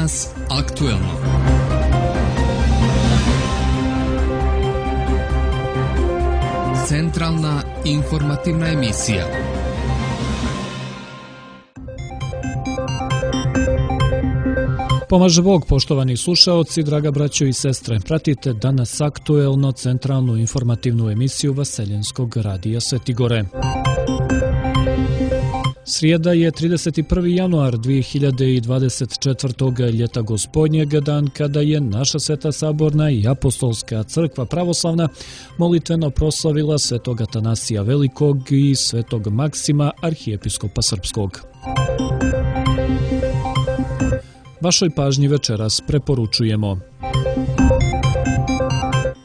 Danas aktuelno. Centralna informativna emisija. Pomaže Bog, poštovani slušaoci, draga braćo i sestre. Pratite Danas aktuelno, centralnu informativnu emisiju Vaseljenskog radija Svetigore. Srijeda je 31. januar 2024. ljeta gospodnjeg, dan kada je naša Sveta Saborna i Apostolska crkva pravoslavna molitveno proslavila svetog Atanasija Velikog i svetog Maksima, arhijepiskopa srpskog. Vašoj pažnji večeras preporučujemo: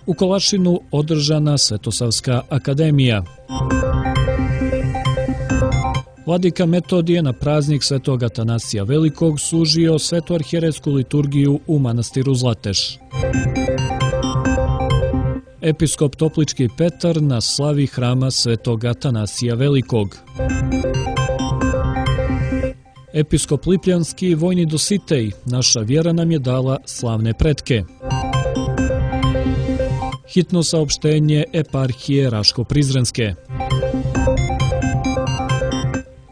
u Kolašinu održana Svetosavska akademija. Vladika Metodije na praznik svetog Atanasija Velikog služio svetu arhijerejsku liturgiju u manastiru Zlateš. Episkop Toplički Petar na slavi hrama svetog Atanasija Velikog. Episkop Lipljanski vojni Dositej, naša vjera nam je dala slavne pretke. Hitno saopštenje eparhije Raško-Prizrenske.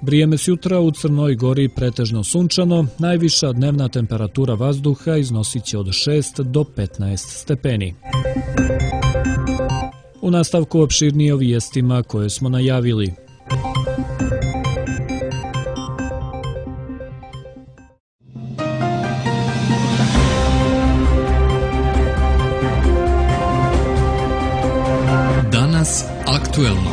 Vrijeme s jutra u Crnoj Gori pretežno sunčano, najviša dnevna temperatura vazduha iznosit će od 6 do 15 stepeni. U nastavku opširnije o vijestima koje smo najavili. Danas aktuelno.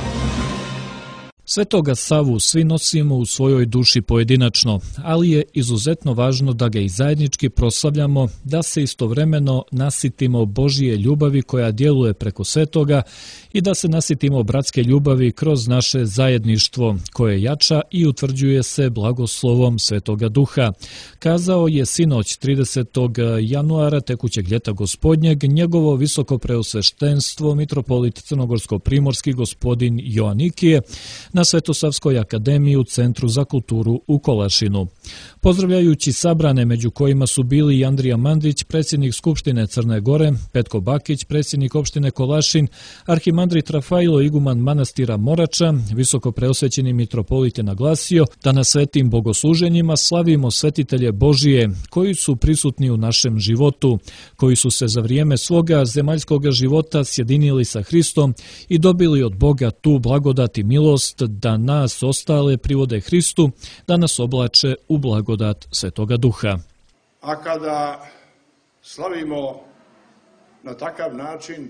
Svetoga Savu svi nosimo u svojoj duši pojedinačno, ali je izuzetno važno da ga i zajednički proslavljamo, da se istovremeno nasitimo Božije ljubavi koja djeluje preko svetoga i da se nasitimo bratske ljubavi kroz naše zajedništvo koje jača i utvrđuje se blagoslovom Svetoga Duha. Kazao je sinoć 30. januara tekućeg ljeta gospodnjeg njegovo visoko preosveštenstvo mitropolit crnogorsko-primorski gospodin Joanikije na Svetosavskoj akademiji u Centru za kulturu u Kolašinu. Pozdravljajući sabrane, među kojima su bili i Andrija Mandić, predsjednik Skupštine Crne Gore, Petko Bakić, predsjednik opštine Kolašin, arhimandrit Rafailo, iguman manastira Morača, visoko preosvećeni mitropolit je naglasio da na svetim bogosluženjima slavimo svetitelje Božije koji su prisutni u našem životu, koji su se za vrijeme svoga zemaljskog života sjedinili sa Hristom i dobili od Boga tu blagodat i milost da nas ostale privode Hristu, da nas oblače u blagodat Svetoga Duha. A kada slavimo na takav način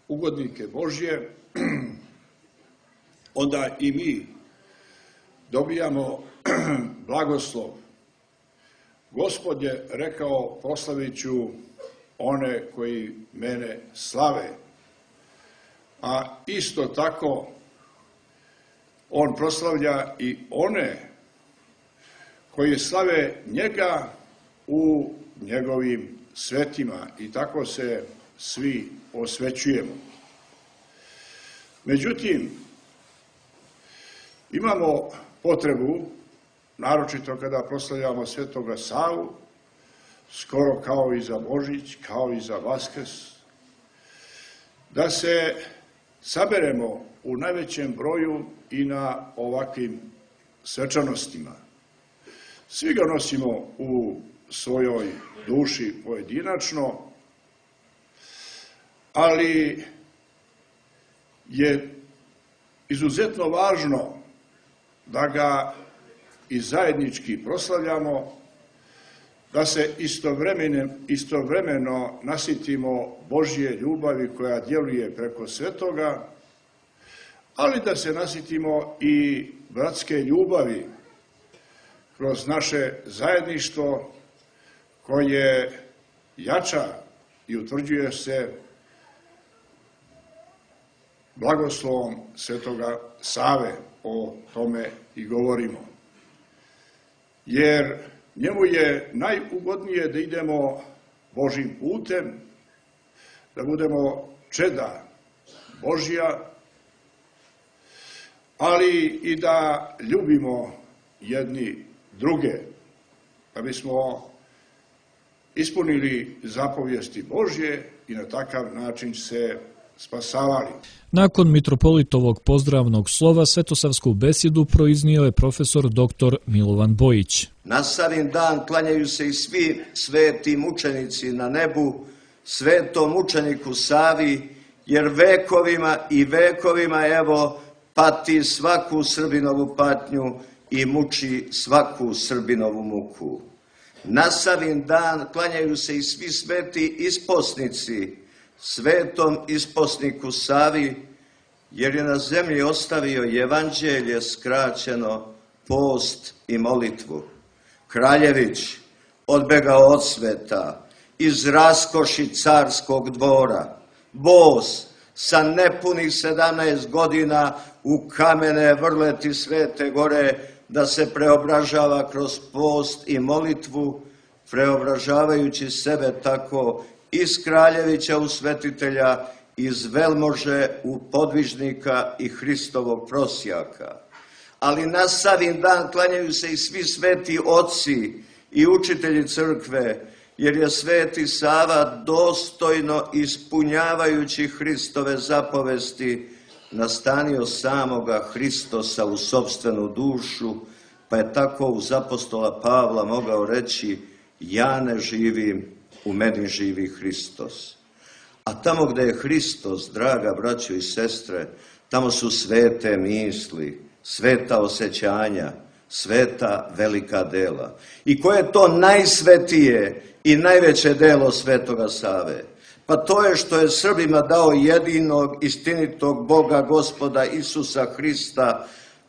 ugodnike Božje, onda i mi dobijamo blagoslov. Gospod je rekao: proslavit ću one koji mene slave. A isto tako on proslavlja i one koji slave njega u njegovim svetima i tako se svi osvećujemo. Međutim, imamo potrebu, naročito kada proslavljamo Svetoga Savu, skoro kao i za Božić, kao i za Vaskrs, da se saberemo u najvećem broju i na ovakvim svečanostima. Svi ga nosimo u svojoj duši pojedinačno, ali je izuzetno važno da ga i zajednički proslavljamo, da se istovremeno nasitimo Božje ljubavi koja djeluje preko svetoga, ali da se nasitimo i bratske ljubavi kroz naše zajedništvo koje jača i utvrđuje se blagoslovom Svetoga Save. O tome i govorimo. Jer njemu je najugodnije da idemo Božjim putem, da budemo čeda Božja, ali i da ljubimo jedni druge, da bismo ispunili zapovijesti Božje i na takav način se spasavali. Nakon mitropolitovog pozdravnog slova svetosavsku besjedu proiznio je profesor dr. Milovan Bojić. Na Savin dan klanjaju se i svi sveti mučenici na nebu, svetom mučeniku Savi, jer vekovima i vekovima evo pati svaku Srbinovu patnju i muči svaku Srbinovu muku. Na Savin dan klanjaju se i svi sveti isposnici, svetom isposniku Savi, jer je na zemlji ostavio evanđelje skraćeno, post i molitvu. Kraljević odbegao od sveta, iz raskoši carskog dvora, bos sa nepunih 17 godina u kamene vrleti Svete Gore, da se preobražava kroz post i molitvu, preobražavajući sebe tako iz Kraljevića u svetitelja, iz velmože u podvižnika i Hristovog prosjaka. Ali na Savin dan klanjaju se i svi sveti oci i učitelji crkve, jer je sveti Sava dostojno ispunjavajući Hristove zapovesti nastanio samoga Hristosa u sopstvenu dušu, pa je tako uz apostola Pavla mogao reći: ja ne živim, u meni živi Hristos. A tamo gde je Hristos, draga braćo i sestre, tamo su svete misli, sveta osjećanja, sveta velika dela. I koje je to najsvetije i najveće delo svetoga Save? Pa to je što je Srbima dao jedinog istinitog Boga Gospoda Isusa Hrista,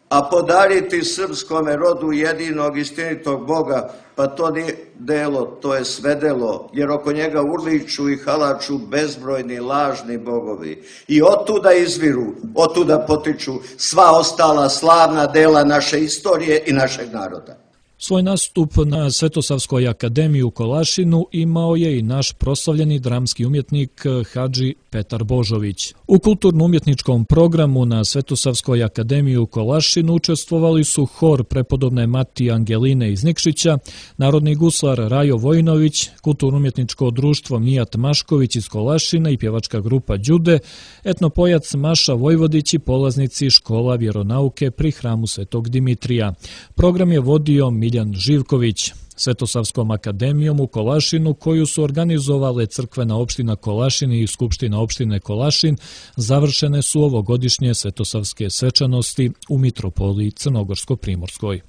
a podariti srpskome rodu jedinog istinitog Boga, pa to nije delo, to je sve delo, jer oko njega urliču i halaču bezbrojni lažni bogovi. I otuda izviru, otuda potiču sva ostala slavna dela naše istorije i našeg naroda. Svoj nastup na Svetosavskoj akademiji u Kolašinu imao je i naš proslavljeni dramski umjetnik Hadži Petar Božović. U kulturno-umjetničkom programu na Svetosavskoj akademiji u Kolašinu učestvovali su hor prepodobne Matije Angeline iz Nikšića, narodni guslar Rajo Vojinović, kulturno-umjetničko društvo Mijat Mašković iz Kolašina i pjevačka grupa Đude, etnopojac Maša Vojvodić i polaznici škola vjeronauke pri hramu Svetog Dimitrija. Program je vodio Miljan Živković. Svetosavskom akademijom u Kolašinu, koju su organizovale crkvena opština Kolašin i skupština opštine Kolašin, završene su ovogodišnje svetosavske svečanosti u mitropoliji Crnogorsko-Primorskoj.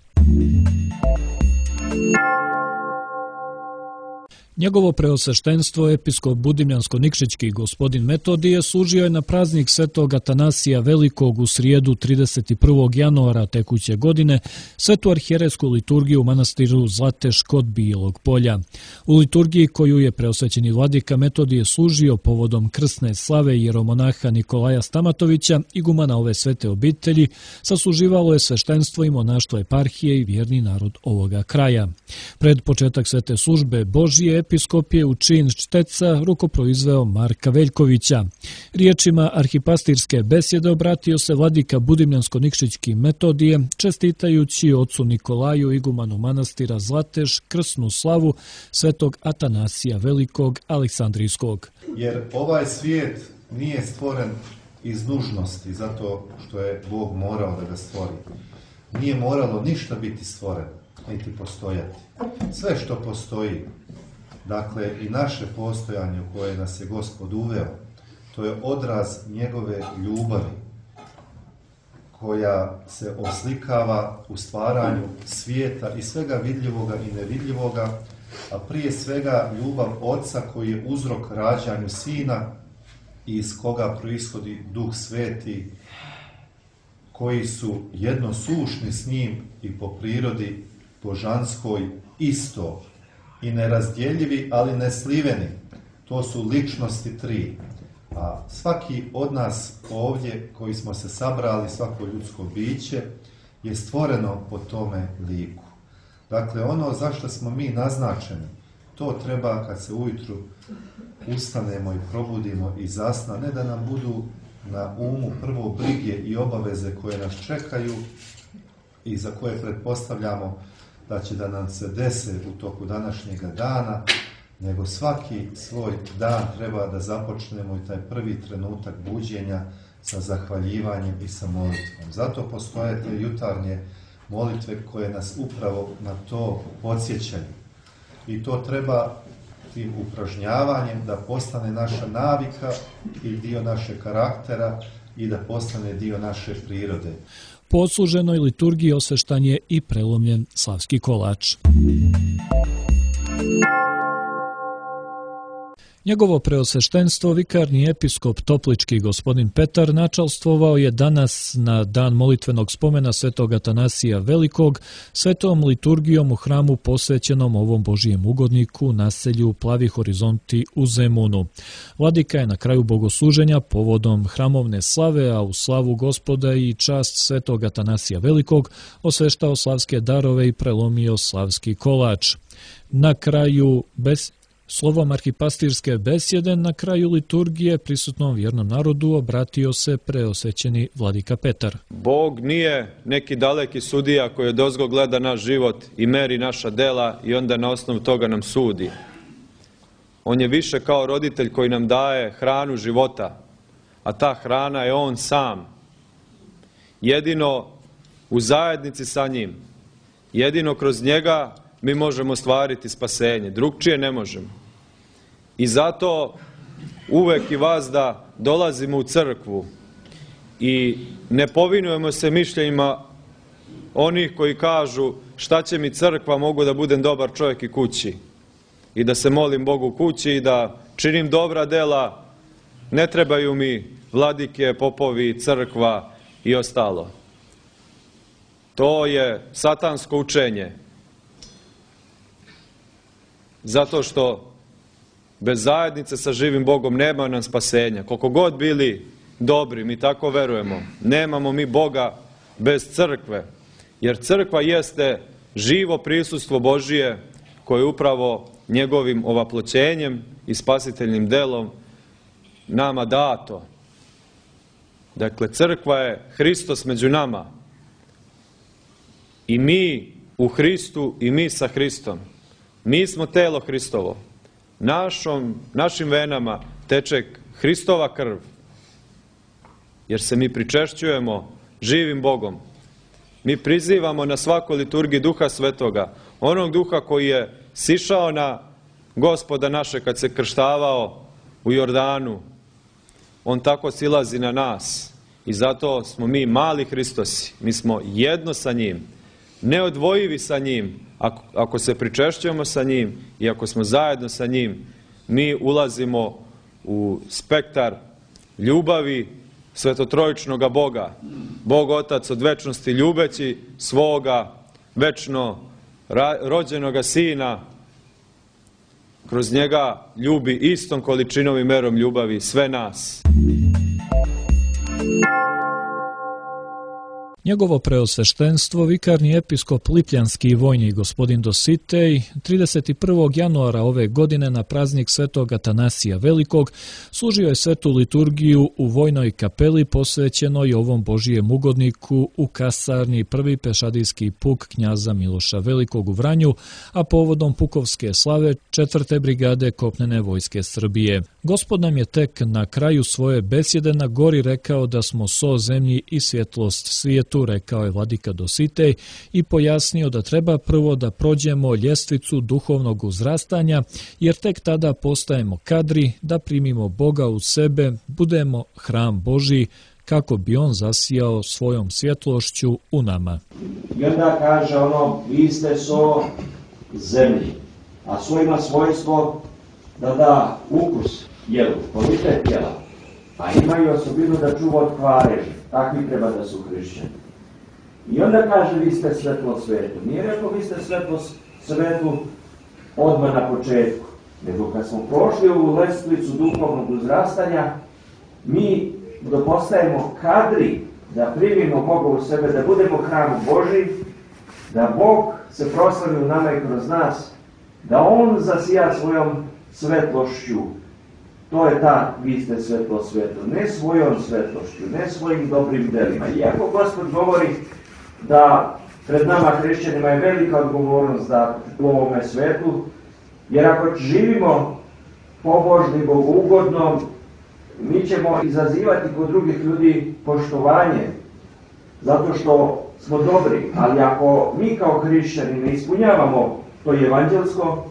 Njegovo preosveštenstvo, episkop Budimljansko-Nikšićki gospodin Metodije, služio je na praznik Svetog Atanasija Velikog u srijedu 31. januara tekuće godine svetu arhijerejsku liturgiju u manastiru Zlateš kod Bijelog Polja. U liturgiji koju je preosvećeni vladika Metodije služio povodom krsne slave jeromonaha Nikolaja Stamatovića, igumana ove svete obitelji, sasluživalo je sveštenstvo i monaštvo eparhije i vjerni narod ovoga kraja. Pred početak svete službe Božije, episkop je u čin šteca rukoproizveo Marka Veljkovića. Riječima arhipastirske besjede obratio se vladika Budimljansko-Nikšićki Metodije, čestitajući ocu Nikolaju, igumanu manastira Zlateš, krsnu slavu svetog Atanasija Velikog Aleksandrijskog. Jer ovaj svijet nije stvoren iz nužnosti, zato što je Bog morao da ga stvori. Nije moralo ništa biti stvoreno, niti postojati. Sve što postoji, dakle i naše postojanje u koje nas je Gospod uveo, to je odraz njegove ljubavi koja se oslikava u stvaranju svijeta i svega vidljivoga i nevidljivoga, a prije svega ljubav Oca koji je uzrok rađanju Sina i iz koga proishodi Duh Sveti, koji su jednosušni s njim i po prirodi božanskoj isto i nerazdjeljivi, ali nesliveni. To su ličnosti tri. A svaki od nas ovdje koji smo se sabrali, svako ljudsko biće, je stvoreno po tome liku. Dakle, ono zašto smo mi naznačeni, to treba kad se ujutru ustanemo i probudimo i zasna, ne da nam budu na umu prvo brige i obaveze koje nas čekaju i za koje pretpostavljamo da će da nam se dese u toku današnjega dana, nego svaki svoj dan treba da započnemo i taj prvi trenutak buđenja sa zahvaljivanjem i sa molitvom. Zato postoje te jutarnje molitve koje nas upravo na to podsjećaju. I to treba tim upražnjavanjem da postane naša navika i dio našeg karaktera i da postane dio naše prirode. Po odsluženoj liturgiji osveštan je i prelomljen slavski kolač. Njegovo preosveštenstvo, vikarni episkop Toplički gospodin Petar, načalstvovao je danas na dan molitvenog spomena svetog Atanasija Velikog svetom liturgijom u hramu posvećenom ovom Božijem ugodniku naselju Plavi horizonti u Zemunu. Vladika je na kraju bogosluženja povodom hramovne slave, a u slavu Gospoda i čast svetog Atanasija Velikog osveštao slavske darove i prelomio slavski kolač. Na kraju slovom arhipastirske besjede na kraju liturgije prisutnom vjernom narodu obratio se preosvećeni vladika Petar. Bog nije neki daleki sudija koji odozgo gleda naš život i meri naša dela i onda na osnovu toga nam sudi. On je više kao roditelj koji nam daje hranu života, a ta hrana je on sam. Jedino u zajednici sa njim, jedino kroz njega mi možemo ostvariti spasenje, drugčije ne možemo. I zato uvek i vas da dolazimo u crkvu i ne povinujemo se mišljenjima onih koji kažu šta će mi crkva, mogu da budem dobar čovjek i kući i da se molim Bogu kući i da činim dobra dela, ne trebaju mi vladike, popovi, crkva i ostalo. To je satansko učenje. Zato što bez zajednice sa živim Bogom nema nam spasenja. Koliko god bili dobri, mi tako verujemo, nemamo mi Boga bez crkve. Jer crkva jeste živo prisustvo Božije koje upravo njegovim ovaploćenjem i spasiteljnim delom nama dato. Dakle, crkva je Hristos među nama. I mi u Hristu i mi sa Hristom. Mi smo telo Hristovo. Našim venama teče Hristova krv. Jer se mi pričešćujemo živim Bogom. Mi prizivamo na svakoj liturgiji Duha Svetoga, onog Duha koji je sišao na Gospoda naše kad se krštavao u Jordanu. On tako silazi na nas. I zato smo mi mali Hristosi. Mi smo jedno sa njim. Neodvojivi sa njim. Ako se pričešćujemo sa njim i ako smo zajedno sa njim, mi ulazimo u spektar ljubavi svetotrojičnoga Boga. Bog Otac od večnosti ljubeći svoga večno rođenoga Sina, kroz njega ljubi istom količinom i merom ljubavi sve nas. Njegovo preosveštenstvo, vikarni episkop Lipljanski i vojni gospodin Dositej, 31. januara ove godine na praznik svetog Atanasija Velikog služio je svetu liturgiju u vojnoj kapeli posvećenoj ovom Božijem ugodniku u kasarni prvi pešadijski puk knjaza Miloša Velikog u Vranju, a povodom pukovske slave 4. brigade kopnene vojske Srbije. Gospod nam je tek na kraju svoje besjede na gori rekao da smo so zemlji i svjetlost svijetu, rekao je vladika Dositej i pojasnio da treba prvo da prođemo ljestvicu duhovnog uzrastanja, jer tek tada postajemo kadri da primimo Boga u sebe, budemo hram Božji, kako bi on zasijao svojom svjetlošću u nama. I onda kaže vi ste so zemlji, a so ima svojstvo da da ukus jelu, kvalitet jela, a imaju osobinu da čuva od kvareži. Takvi treba da su hrišćani. I onda kaže vi ste svetlo svetu. Nije rekao vi ste svetlo svetu odmah na početku, nego kad smo prošli u lestvicu duhovnog uzrastanja, mi postajemo kadri da primimo Boga u sebe, da budemo hram Božji, da Bog se proslavi u nama i kroz nas, da On zasija svojom svetlošću. To je ta, vi ste svetlo svetu, ne svojom svetlošću, ne svojim dobrim delima. Iako Gospod govori da pred nama hrišćanima je velika odgovornost da u ovome svetu Jer ako živimo pobožno i bogougodno, mi ćemo izazivati kod drugih ljudi poštovanje, zato što smo dobri. Ali ako mi kao hrišćani ne ispunjavamo to evanđelsko,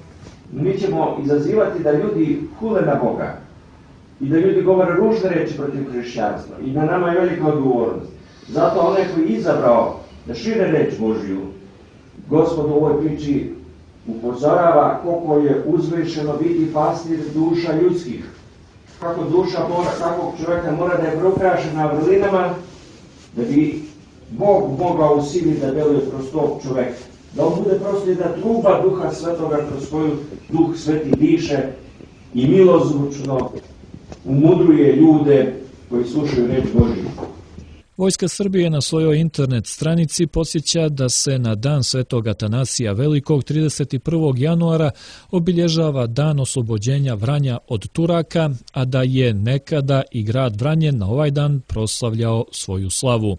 mi ćemo izazivati da ljudi hule na Boga i da ljudi govore ružne reči protiv hrišćanstva. I na nama je velika odgovornost. Zato onaj koji je izabrao da šire reč Božju, Gospod u ovoj priči upozorava koliko je uzvišeno biti pastir duša ljudskih. Kako duša takvog čovjeka mora da je proukrašena vrlinama, da bi Bog mogao u sili da deluje kroz tog čovjeka. Da on bude prosto jedna truba Duha Svetoga kroz koju Duh Sveti diše i milozvučno umudruje ljude koji slušaju reč Božju. Vojska Srbije na svojoj internet stranici podsjeća da se na dan Svetog Atanasija Velikog 31. januara obilježava dan oslobođenja Vranja od Turaka, a da je nekada i grad Vranje na ovaj dan proslavljao svoju slavu.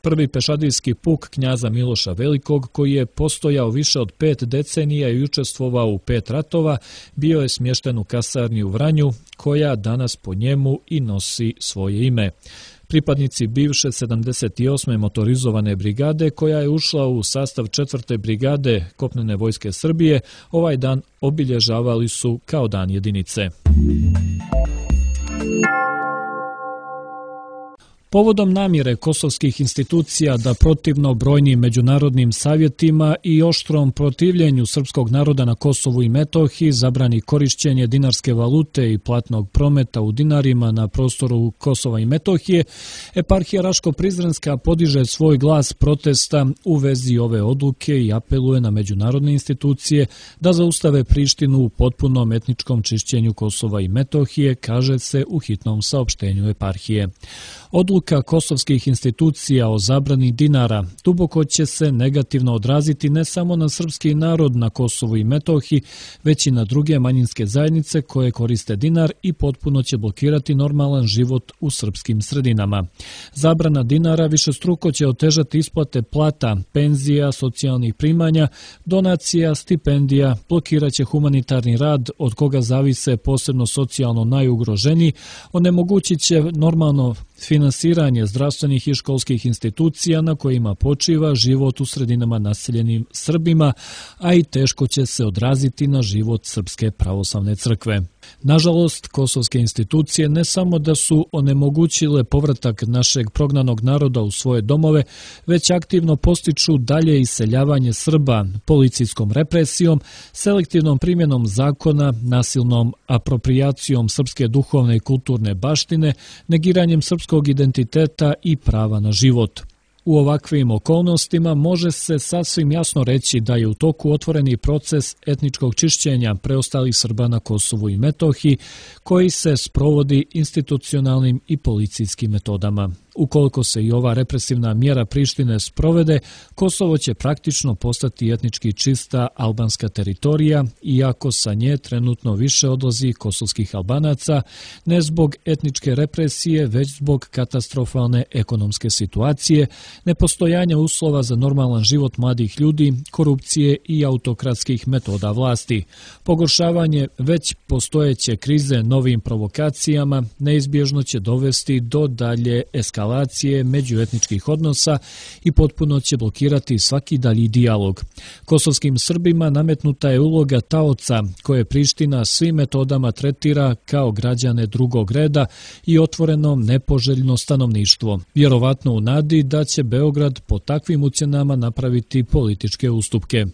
Prvi pešadijski puk knjaza Miloša Velikog, koji je postojao više od 5 decenija i učestvovao u 5 ratova, bio je smješten u kasarni u Vranju, koja danas po njemu i nosi svoje ime. Pripadnici bivše 78. motorizovane brigade, koja je ušla u sastav 4. brigade kopnene vojske Srbije, ovaj dan obilježavali su kao dan jedinice. Povodom namjere kosovskih institucija da protivno brojnim međunarodnim savjetima i oštrom protivljenju srpskog naroda na Kosovu i Metohiji zabrani korišćenje dinarske valute i platnog prometa u dinarima na prostoru Kosova i Metohije, eparhija Raško-Prizrenska podiže svoj glas protesta u vezi ove odluke i apeluje na međunarodne institucije da zaustave Prištinu u potpunom etničkom čišćenju Kosova i Metohije, kaže se u hitnom saopštenju eparhije. Odluka kosovskih institucija o zabrani dinara duboko će se negativno odraziti ne samo na srpski narod na Kosovu i Metohiji, već i na druge manjinske zajednice koje koriste dinar i potpuno će blokirati normalan život u srpskim sredinama. Zabrana dinara višestruko će otežati isplate plata, penzija, socijalnih primanja, donacija, stipendija, blokirat će humanitarni rad od koga zavise posebno socijalno najugroženiji, onemogućit će normalno finansiranje zdravstvenih i školskih institucija na kojima počiva život u sredinama naseljenim Srbima, a i teško će se odraziti na život Srpske pravoslavne crkve. Nažalost, kosovske institucije ne samo da su onemogućile povratak našeg prognanog naroda u svoje domove, već aktivno postiču dalje iseljavanje Srba policijskom represijom, selektivnom primjenom zakona, nasilnom aproprijacijom srpske duhovne i kulturne baštine, negiranjem srpskog identiteta i prava na život. U ovakvim okolnostima može se sasvim jasno reći da je u toku otvoreni proces etničkog čišćenja preostalih Srba na Kosovu i Metohiji, koji se sprovodi institucionalnim i policijskim metodama. Ukoliko se i ova represivna mjera Prištine sprovede, Kosovo će praktično postati etnički čista albanska teritorija, iako sa nje trenutno više odlazi kosovskih Albanaca, ne zbog etničke represije, već zbog katastrofalne ekonomske situacije, nepostojanja uslova za normalan život mladih ljudi, korupcije i autokratskih metoda vlasti. Pogoršavanje već postojeće krize novim provokacijama neizbježno će dovesti do dalje eskalacije međuetničkih odnosa i potpuno će blokirati svaki dalji dijalog. Kosovskim Srbima nametnuta je uloga taoca koje Priština svim metodama tretira kao građane drugog reda i otvoreno nepoželjno stanovništvo. Vjerovatno u nadi da će Beograd po takvim ucjenama napraviti političke ustupke.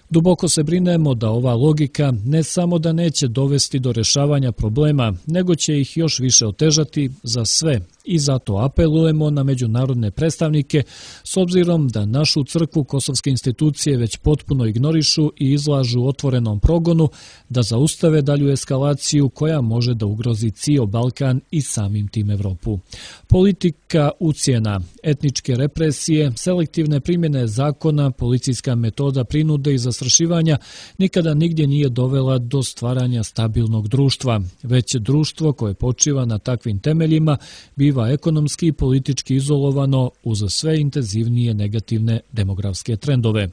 Duboko se brinemo da ova logika ne samo da neće dovesti do rješavanja problema, nego će ih još više otežati za sve. I zato apelujemo na međunarodne predstavnike, s obzirom da našu crkvu kosovske institucije već potpuno ignorišu i izlažu otvorenom progonu, da zaustave dalju eskalaciju koja može da ugrozi cijel Balkan i samim tim Evropu. Politika ucjena, etničke represije, selektivne primjene zakona, policijska metoda prinude i zastrašivanja zastrašivanja nikada nigdje nije dovela do stvaranja stabilnog društva, već društvo koje počiva na takvim temeljima biva ekonomski i politički izolovano uz sve intenzivnije negativne demografske trendove.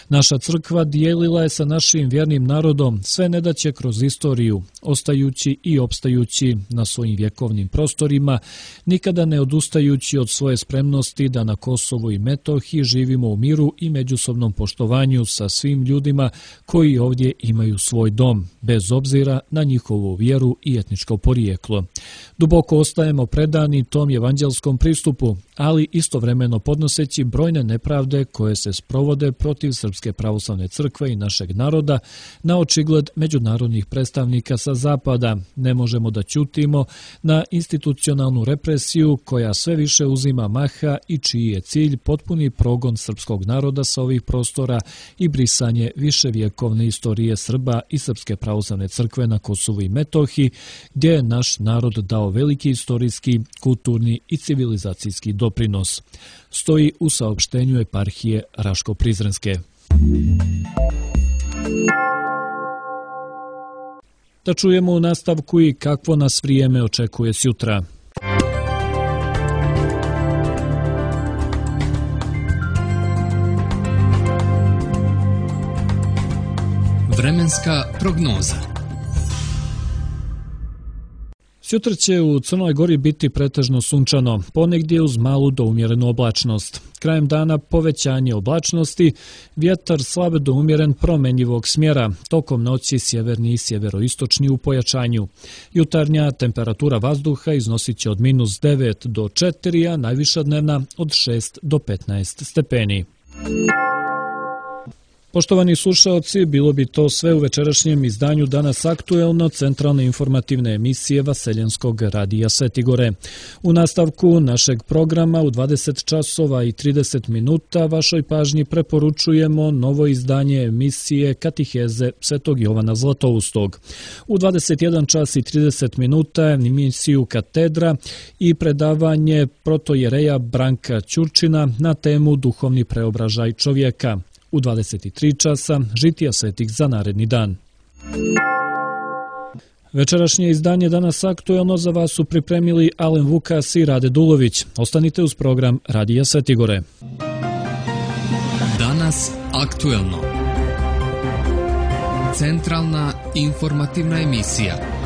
Naša crkva dijelila je sa našim vjernim narodom sve nedaće kroz istoriju, ostajući i opstajući na svojim vjekovnim prostorima, nikada ne odustajući od svoje spremnosti da na Kosovu i Metohiji živimo u miru i međusobnom poštovanju sa svim ljudima koji ovdje imaju svoj dom, bez obzira na njihovu vjeru i etničko porijeklo. Duboko ostajemo predani tom evanđelskom pristupu, ali istovremeno podnoseći brojne nepravde koje se sprovode protiv Srpske pravoslavne crkve i našeg naroda na očigled međunarodnih predstavnika sa zapada. Ne možemo da ćutimo na institucionalnu represiju koja sve više uzima maha i čiji je cilj potpuni progon srpskog naroda sa ovih prostora i brisanje viševjekovne istorije Srba i Srpske pravoslavne crkve na Kosovu i Metohiji, gdje je naš narod dao veliki istorijski, kulturni i civilizacijski doprinos. Stoji u saopštenju eparhije Raško-Prizrenske. Da čujemo u nastavku i kakvo nas vrijeme očekuje sjutra. Vremenska prognoza. Sutra će u Crnoj Gori biti pretežno sunčano, ponegdje uz malu do umjerenu oblačnost. Krajem dana povećanje oblačnosti, vjetar slab do umjeren promenjivog smjera, tokom noći sjeverni i sjeveroistočni u pojačanju. Jutarnja temperatura vazduha iznosit će od -9 do 4, a najviša dnevna od 6 do 15 stepeni. Poštovani slušaoci, bilo bi to sve u večerašnjem izdanju Danas aktuelno centralne informativne emisije Vaseljenskog radija Svetigore. U nastavku našeg programa u 20 časova i 30 minuta vašoj pažnji preporučujemo novo izdanje emisije Katiheze Svetog Jovana Zlatoustog. U 21 čas i 30 minuta emisiju Katedra i predavanje protojereja Branka Ćurčina na temu Duhovni preobražaj čovjeka. U 23 časa žitija svetih za naredni dan. Večerašnje izdanje Danas aktuelno za vas su pripremili Alen Vukas i Rade Dulović. Ostanite uz program Radija Svetigore. Danas aktuelno. Centralna informativna emisija.